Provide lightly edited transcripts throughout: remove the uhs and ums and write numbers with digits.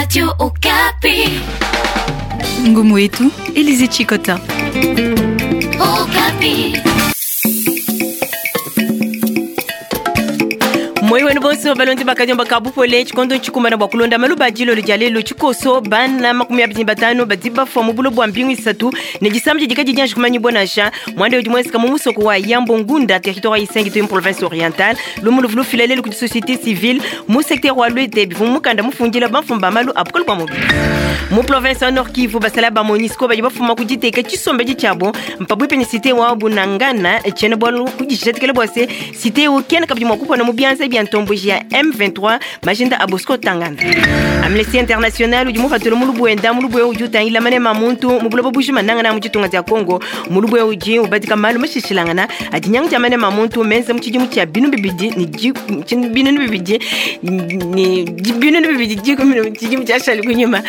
Radio Okapi. Ngumu yetu Elize Chikota. Okapi. Moi wenu bonso balondi bakadiomba ka bupole tshikondo tshikumbana bua kulonda maluba a dilolo dia lelu tshikoso bana 25 badi bafua mu bulo bua mbingu isatu ne disama didi kadiyi dianji kumanyibua nansha. Muanda udi muenzeka mu musoko wa Yambo Ngunda, territoire wa Isangi to mu province orientale. Lumu luvua lufila lelu kudi societe civile mu secteur wa Luete bivua mu mukanda mufundila bamfumu ba malu a bukole bua mubidi. Mu province wa Nord Kivu basalayi ba Monusco badi bafuma ku diteka tshisombedi tshiabu mpabuipi ne cite wa Bunangana. Tshiena bualu kudijadikila bua se cite eu kena kabidi mua kupona mu bianza bia ntomboji ya M23 majinda a Bosco Ntaganda. Amnesty International udi mupatule mulubu wenda mulubu eu udi utangila manema a muntu mu buloba bujima nangana mu ditunga dia Congo. Mulubu eu udi ubadika malu mashishilangana a dinyanga dia manema a muntu menza mu tshidimu tshia binu bibidi ne binunu bibidi ne binunu bibidi dikumi ne tshidimu tshiashali kunyima.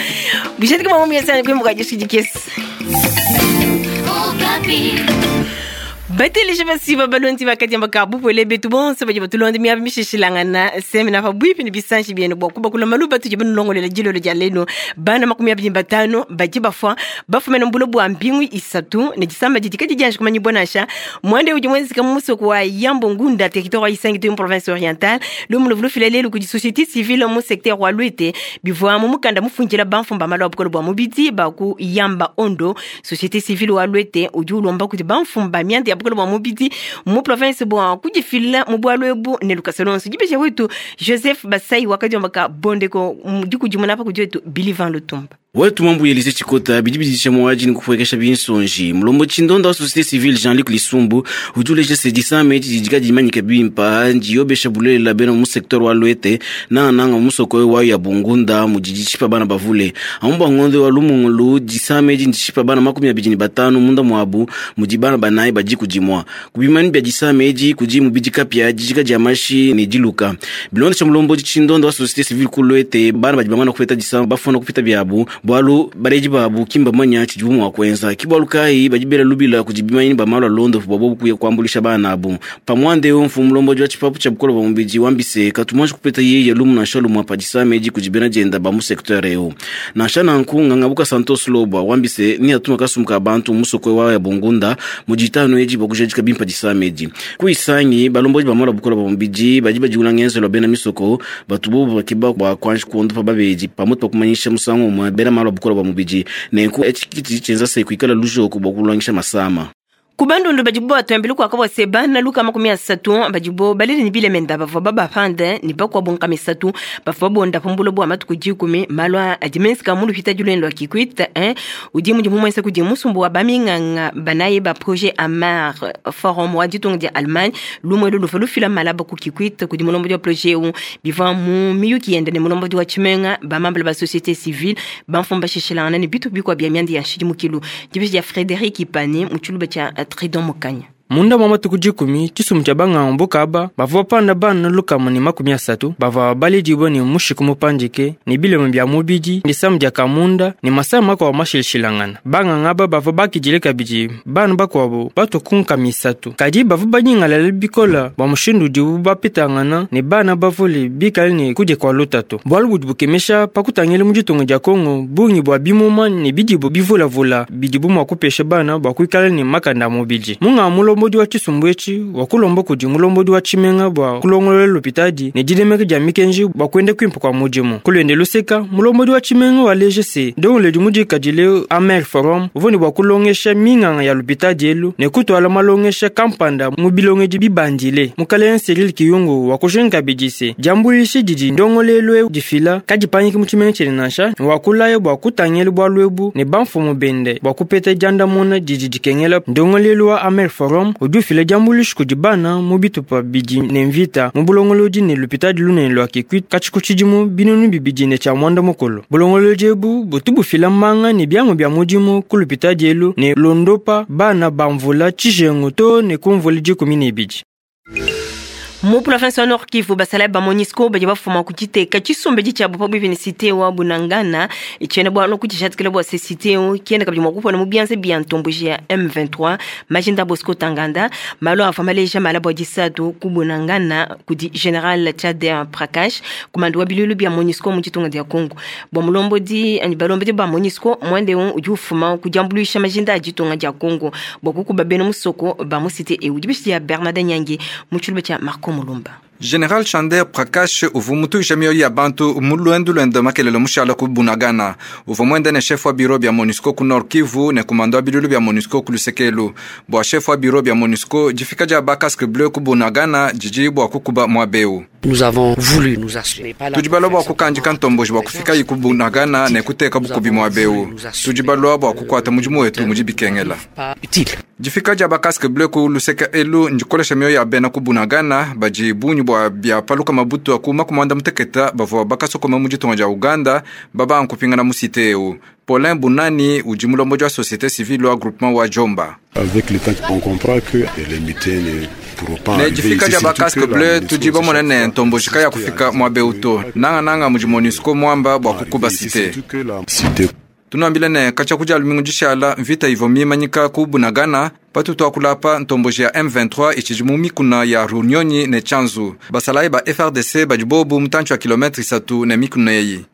Bujadiki bua mu yasa kuimbuka dishidikesi. Bateleji basiba balondi bakadiamba ka bupole betu bonso badi batulonda miaba mishishilangana semena pabuipi ne bisanji bienu bua kubakula malu batudi banulongolela dilolo dia lelu. Bana 25 badi bafua bafumena mu bulo bua mbingu isatu ne disama didi kadiyi dianji kumanyibua nansha. Muanda udi muenzeka mu musoko wa Yambo Ngunda, territoire wa Isangi to mu province orientale. Lumu luvua lufila lelu kudi societe civile mu secteur wa Luete bivua mu mukanda mufundila bamfumu ba malu a bukole bua mubidi ba ku Yamba Ondo. Societe civile wa Luete udi ulomba kudi bamfumu ba mianda ya bukole bua mubidi mu province bua kudifila mu bualu ebu ne lukasa luonso. Dibeja wetu Joseph Basai wakadiomba ka bondeko dikudimuna pa kudi wetu Billy Van Lutumba. Wetu Mambu Elise Tshikota bidi bidisha muaji ne kupuekesha binsonji. Mulombodi tshindonda wa societe civile Jean-Luc Lisumbu udi uleja se disama edi didi kadimanyike bimpa ndiyobesha bulelela bena mu secteur wa Luete nangananga mu musoko wa ya Bungunda mudi dishipa bana bavule. Amu bua ngondo wa Lumungulu disama edi ndishipa bana 25 munda muabu mudi bana banayi ba diku dimua. Ku bimanyinu bia disama edi kudi mubidi kapia, dijika dia mashi ne diluka. Bilondesha mulombodi tshindonda wa societe civile ku Luete, bana badi bamana kupeta disama bafuna kupita biabu bualu baledi babu ki mbamanya tshidibu mua kuenza. Ki bualu kayi badi bela lubila kudi bimanyinu ba malu a luondopu bua bobu kuya kuambuluisha bana abu. Pa muanda eu, mfumu mulombodi wa tshipapu tshia bukole bua mubidi wambi se, katu muanji kupeta yeye lumu nansha lumue pa disama edi kudi bena dienda ba mu secteur eu. Nansha nanku, Nganga Buka Santos Lobwa wambi se, neatuma kasumbu ka bantu mu musoko wa ya Bungunda mu ditanu edi bua kujadika bimpe disama edi. Ku Isangi, balombodi ba malu a bukole bua mubidi badi badiula ngenzelu wa bena misoko batu bobu bakeba bua kuanji kuondopa babedi pamutu pa kumanyisha musangu umue bena malu a bukole bua mubidi. Nenku etshi ke tshidi tshienza se kuikala lujoku bua kuluangisha masama. Ku bandundu badibo batuambila kuaka bua se bana 30 badibo balele ne bilemenda bavua babapande ne bakuabu 30 bavua babondapa mu buloba bua matuku dikumi. Malu aa adi menzeka mu lupitadi luende lua Kikwit 1 udi mudimu muenza kudi musumbu wa baminganga banayi ba Projet Amar Forum wa ditunga dia Allemagne. Lumu elu luvua lufila malaba ku Kikwit kudi mulombodi wa projet eu. Bivua mu miyuki yende ne mulombodi wa tshimenga, bamambila ba societe civile, bamfumu bashishilangana ne bitupa bikuabu bia mianda ya nshidimukilu. Dibeji dia Frederic Ipani mu tshiluba tshia Tridon Mukanya. Munda mua matuku dikumi, tshisumbu tshia banganga buka aba bavua bapanda bana 130 bavua baledibue ne mushiku mupandike, ne bilema bia mubidi, disama dia kamunda ne masama makuabu mashilashilangana. Banganga aba bavua bakidile kabidi bana bakuabu batue ku 300. Kadi bavua banyingalala bikole bua mushindu udibu bapetangana ne bana bavule bikale ne kudia kua lutatu. Bualu budi bukemesha pa kutangila mu ditunga dia Congo bungi bua bimuma ne bidibu bivulavula bidibu mua kupesha bana bua kuikala ne makanda a mubidi. Munga mulombodi wa tshisumbu etshi wakulomba kudi mulombodi wa tshimenga bua kulongolola lupitadi ne dinemeka dia mikenji bua kuenda kuimpe kua mudimu. Ku luende luseka, mulombodi wa tshimenga waleja se, ndongoluedi mudikadile Amer Forum uvua ne bua kulongesha minganga ya lupitadi elu ne kutuala malongesha kampanda mu bilongedi bibandile. Mukalenga Cyril Kiyungu wakujinga kabidi se, diambuluisha didi ndongoluelu eu difila kadipangiki mu tshimenga tshiende nansha, ne wakulaya bua kutangila bualu ebu ne bamfumu bende bua kupeta diandamuna didi dikengela. Ndongoluelu wa Amer Forum udi ufila diambuluisha kudi bana mu bitupa bidi ne mvita mu bulongolodi ne lupitadi lunene lua Kikwit katshi ku tshidimu 2019. Bulongolodi ebu butu bufila manga ne biamu bia mudimu ku lupitadi elu ne londopa bana ba mvula tshijengu too ne ku mvula 12. Mu province wa Nord Kivu, basalayi ba MONUSCO badi bafuma ku diteka tshisumbu tshiabu pabuipi ne cité wa Bunagana. Tshiena bualu kudijadikila bua se cité eu kena kabidi mua kupona mu bianza bia ntomboji ya M23. Majinda Bosco Ntaganda, malu avua maleja mala bua disatu ku Bunagana kudi General Chander Prakash, commandant wa biluilu bia MONUSCO mu ditunga dia Congo. Bua mulombodi anyi balombodi ba MONUSCO, muanda eu udi ufuma ku diambuluisha majinda a ditunga dia Congo bua kukuba bena musoko ba mu cité eu. Dibishi dia Bernard Nyangi mu tshiluba tshia Marco Mulumba. General Chander Prakash uvua mutuisha mioyo ya bantu mu luendu luende makelele mushala ku Bunagana. Uvua muende ne chef wa bureau bia MONUSCO ku Nord Kivu ne commandant wa biluilu bia MONUSCO ku lusekelu. Bua chef wa bureau bia MONUSCO, difika dia ba casque bleu ku Bunagana didi bua kukuba muaba eu. Nous avons voulu nous assurer. Tudi balua bua kukandika ntomboji bua kufika ku Bunagana ne kuteka bukubi muaba eu. Tudi balua bua kukuata mudimu wetu mudi bikengela. Difika dia ba casque bleu ku luseke elu ndikolesha mioyo ya bena ku Bunagana badi bungi bua bia paluka mabutu aku makumanda muteketa bavua bakasokoma mu ditunga dia Uganda baba nkupingana mu cité eu. Paulin Bunani udi mulombodi wa société civile wa groupement wa Jomba. Avec le temps, on comprend que les mutins ne pourront pas Ne difika dia ba casque bleu tudi bamona ne ntomboji kaya kufika muaba eu to. Nanga nanga mudi MONUSCO muamba bua kukuba cité. Tunuambile ne katshia kudia lumingu dishala mvita ivua mimanyika ku Bunagana patutu akulapa ntomboji ya M23 itshidi mu mikuna ya Runyonyi ne Tchanzu. Basalayi ba FARDC badi bobu mutantshi wa kilometre isatu ne mikuna eyi.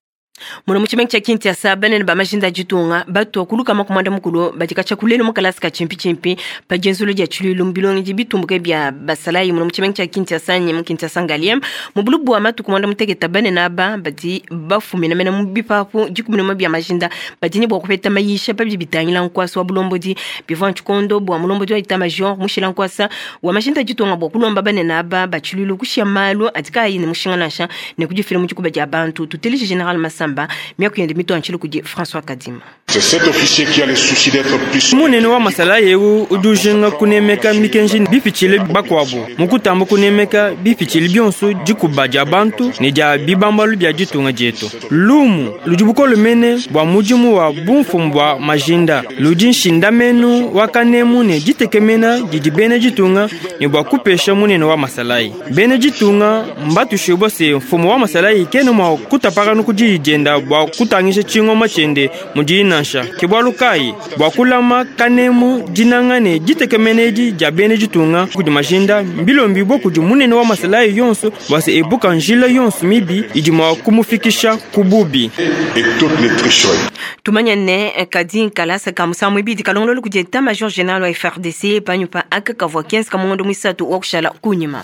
Muno mu tshimenga tshia Kinshasa, banene ba majinda a ditunga batua kuluka makumanda mukulu badi katshia kulelu mu kalasa ka tshimpi-tshimpi pa dienzolo dia tshiluilu mu bilongedi bitumbuke bia basalayi muno mu tshimenga tshia Kinshasa ne mu Kinshasa Ngaliema. Mu bulu bua matuku muanda mutekete, banene aba badi bafumina mena mu bipapu 11 bia majinda badi ne bua kupeta mayisha pa bidi bitangila nkuasa wa bulombodi. Bivua tshikondo bua mulombodi wa état-major mushila nkuasa wa majinda a ditunga bua kulomba banene aba ba tshiluilu kushia malu adi kaayi ne mushinga nansha ne kudifila mu dikuba dia bantu. Tuteleje General Masamba, miaku yende mituantshile kudi François Kadima. C'est cet officier qui a le souci d'être plus Munene wa masalayi eu udi ujinga kunemeka mikenji bipitshile bakuabu mukutamba kunemeka bipitshile bionso dikuba dia bantu ne dia bibambalu bia ditunga dietu. Lumu ludi bukole mene bua mudimu wa bumfumu bua majinda ludi nshindamenu wa kanemu ne ditekemena didi bena ditunga ne bua kupesha munene wa masalayi. Bena ditunga mbatushibua se mfumu wa masalayi kena mua kutapakana ku diyi dienda bua kutangisha tshingoma tshiende mudiyi nansha. Ke bualu kayi bua kulama kanemu dinanga ne ditekemena edi dia bena ditunga kudi majinda mbilombibua kudi munene wa masalayi yonso bua se ebuka njila yonso mibi idi mua kumufikisha ku bubi. Et toutes les tricheries. Tumanya ne kadi nkalasa ka musangu ibidi kalongololo kudi état major général wa FARDC panyuma aka kavua 15 ka muisatu wa kushala kunyima.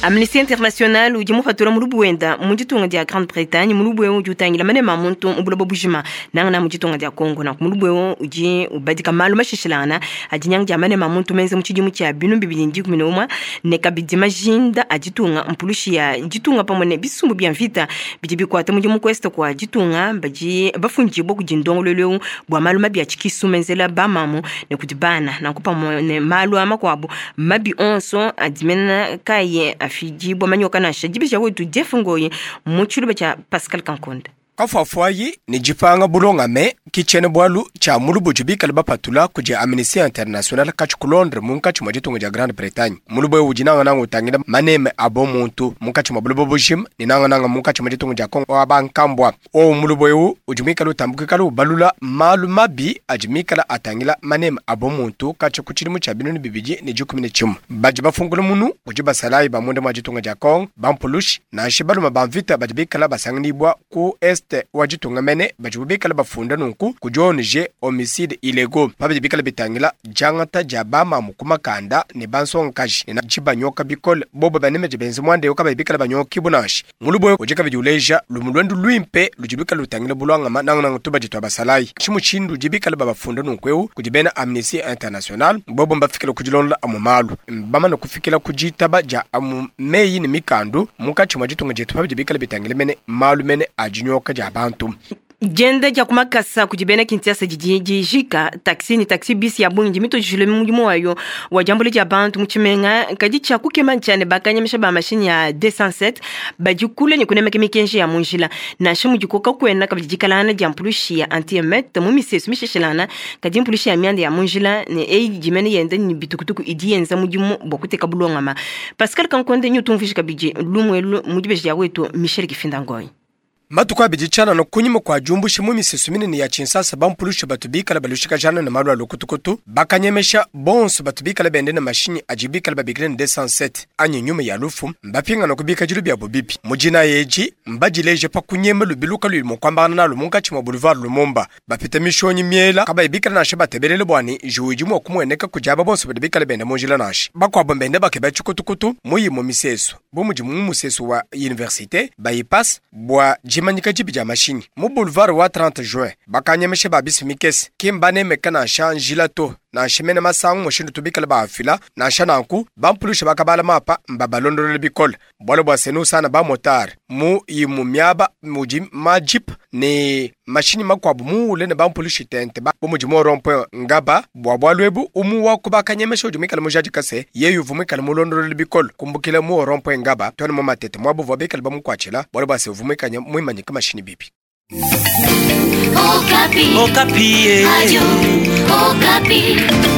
Amnesty International udi mupatula mulubu wenda mu ditunga dia Grande-Bretagne. Mulubu eu udi utangila manema a muntu mu buloba bujima nangana mu ditunga dia Congo. Nanku mulubu eu udi ubadika malu mashishilangana a dinyanga dia manema a muntu menza mu tshidimu tshia 2011 ne kabidi majinda a ditunga mpulushi ya ditunga pamue ne bisumbu bia mvita bidi bikuata mudimu ku est kua ditunga badi bafundibua kudi ndongoluelu eu bua malu mabi a tshikisu menzela bamamu ne kudi bana, nanku pamue ne malu a makuabu mabi onso adi mena kayi afidibua manyoka nansha. Dibisha wetu Jeff Ngoyi mu tshiluba tshia Pascal Kankonda. Kafuafuayi ne dipanga bulongame ki tshiena bualu tshia mulubu bikale bapatula kudi Amnesty International katshi ku Londres munkatshi mua ditunga dia Grande Bretagne. Mulubu eu udi nangananga utangila maneme a bomuntu munkatshi mua buloba bujima ne nangananga munkatshi mua ditunga dia Kongo wa bankambua. Owu mulubu eu udi muikale utambukikala ubalula malu mabi adi mikala atangila maneme a bomuntu katshi ku tshidimu tshia 2011. Badi bafungula munu kudi basalayi ba munda mua ditunga dia Kongo, bampulushi nansha baluma ba mvita badi bikala basanganibua ku est wa ditunga mene badi bikala bafunda nunku kudi ONG Homicide Illégaux pabidi bikala bitangila diangata dia bamamu ku makanda ne bansongakaji ne dibanyoka bikole bobo baneme benze muanda eu kabayi bikala banyokibu nansha. Mulubu udi kabidi uleja lumu luendu luimpe ludi bikala lutangila bulwangama nangananga tubadi tua basalayi tshimushindu udi bikala babafunda nunku eu kudi bena Amnesty International. Bobo mbafikila kudilondola amu malu bamana kufikila ku ditaba dia amu meyi ne mikandu munkatshi mua ditunga dietu pabidi bikala bitangila mene malu mene a dinyoka dia bantu. Dienda dia ku makasa kudi bena Kinshasa didi dijika. Taxi ne taxi bus ya bungi mitujile mudimu wayo wa diambula dia bantu mu tshimenga. Kadi tshia kukema ntshia ne bakanyemesha ba mashinyi ya 207 badi kule ne kunemeka mikenji ya mu njila. Nansha mudiko kakuena kabidi dikalangana dia mpulushi ya anti-émeute mu misesu misheshilana, kadi mpulushi ya mianda ya mu njila ne eyi dimene yenda ne bitukutuku idi yenza mudimu bua kuteka bulongama. Pascal Kankonde nyutumvisha kabidi lumu elu mu dibeji dia wetu Michel Kifinda Ngoyi. Matuku abidi tshianana kunyima kua diumbusha mu misesu minene ya Kinshasa bampulusha batu bikala balushikajana ne malu a lukutukutu, bakanyemesha bonso batu bikala bende ne mashinyi adi bikala babikila ne 207 anyi nyuma ya lufu, mbapingana ku bikadilu biabo bibi. Mu dina edi mbadileje pa kunyema lubilu kaluyi mua kuambangana nalu munkatshi mua boulevard Lumumba, bapita mishonyi miela kabayi bikala nansha batebelele bua ne njiwu idi mua kumueneka kudi aba bonso badi bikala benda mu njila nansha. Bakuabo mbende bakeba tshikutukutu mu imue misesu bu mudi mu musesu wa université bypass bua dimanyika dibi dia mashinyi. Mu boulevard wa 30 juin bakanyemesha ba bisi mikese ki mbanemeka nansha njila to nansha mene masangu mushindu tubikala baafila nansha nanku bampulusha bakabala mapa mbabalondolola bikole bualu bua senu usana ba motard mu imu miaba mudi majip ne mashinyi makuabu muule ne bampulushi tente ba bu mudi mu rond-point Ngaba bua bualu ebu umu wa ku bakanyemesha udi muikale mujadika se yeye uvua muikale mulondolola bikole kumbukila mu rond-point Ngaba tone mu Matete muabu uvua bikale bamukuatshila bualu bua se uvua muikale muimanyika mashinyi bibi. Okapi. Okapi. Radio Okapi.